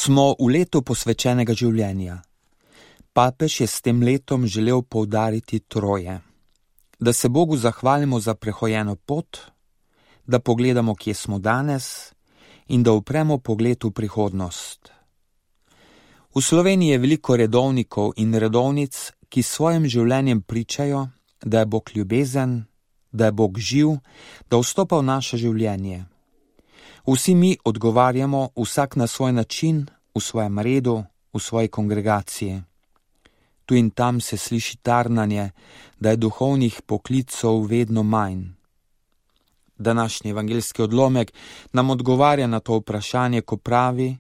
Smo v letu posvečenega življenja. Papež je s tem letom želel poudariti troje. Da se Bogu zahvalimo za prehojeno pot, da pogledamo, kje smo danes in da upremo pogled v prihodnost. V Sloveniji je veliko redovnikov in redovnic, ki s svojim življenjem pričajo, da je Bog ljubezen, da je Bog živ, da vstopa v naše življenje. Vsi mi odgovarjamo vsak na svoj način, v svojem redu, v svoji kongregaciji. Tu in tam se sliši tarnanje, da je duhovnih poklicov vedno manj. Današnji evangeljski odlomek nam odgovarja na to vprašanje, ko pravi: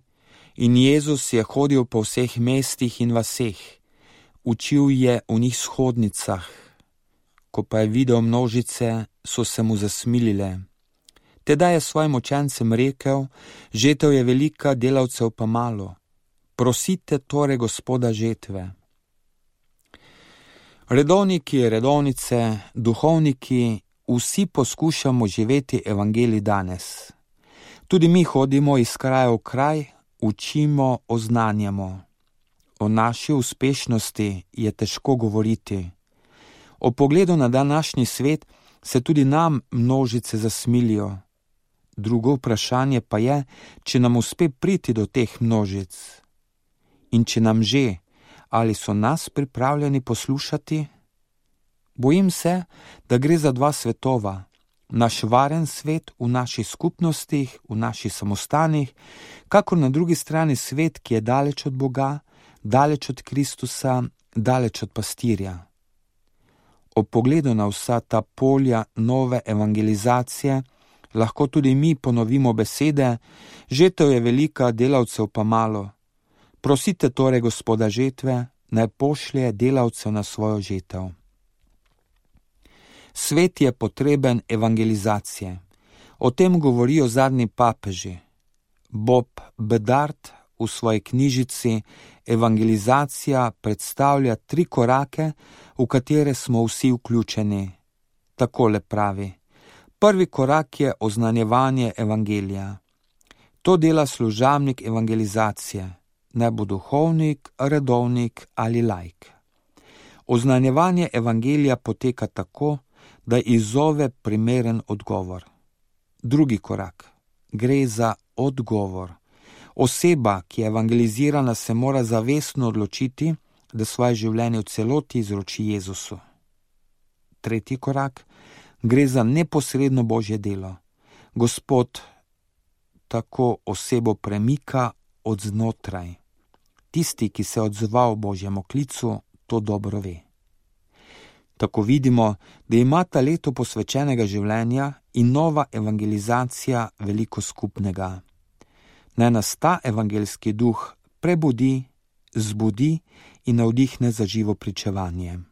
in Jezus je hodil po vseh mestih in vaseh, učil je v njih shodnicah. Ko pa je videl množice, so se mu zasmilile. Tedaj je svojim učencem rekel: žetev je velika, delavcev pa malo. Prosite torej Gospoda žetve. Redovniki, redovnice, duhovniki, vsi poskušamo živeti evangelij danes. Tudi mi hodimo iz kraja v kraj, učimo, oznanjamo. O naši uspešnosti je težko govoriti. O pogledu na današnji svet se tudi nam množice zasmilijo. Drugo vprašanje pa je, če nam uspe priti do teh množic. In če nam že, ali so nas pripravljeni poslušati? Bojim se, da gre za dva svetova. Naš varen svet v naših skupnostih, v naših samostanih, kakor na drugi strani svet, ki je daleč od Boga, daleč od Kristusa, daleč od pastirja. Ob pogledu na vsa ta polja nove evangelizacije lahko tudi mi ponovimo besede: žetev je velika, delavcev pa malo. Prosite torej Gospoda žetve, naj pošlje delavcev na svojo žetev. Svet je potreben evangelizacije. O tem govorijo zadnji papeži. Bob Bedard v svoji knjižici Evangelizacija predstavlja 3 korake, v katere smo vsi vključeni. Takole pravi: prvi korak je oznanjevanje evangelija. To dela služabnik evangelizacije, naj bo duhovnik, redovnik ali laik. Oznanjevanje evangelija poteka tako, da izzove primeren odgovor. Drugi korak. Gre za odgovor. Oseba, ki je evangelizirana, se mora zavestno odločiti, da svoje življenje v celoti izroči Jezusu. Tretji korak. Gre za neposredno Božje delo. Gospod tako osebo premika od znotraj. Tisti, ki se odzval Božjemu klicu, to dobro ve. Tako vidimo, da ima ta leto posvečenega življenja in nova evangelizacija veliko skupnega. Naj nas ta evangeljski duh prebudi, zbudi in navdihne za živo pričevanje.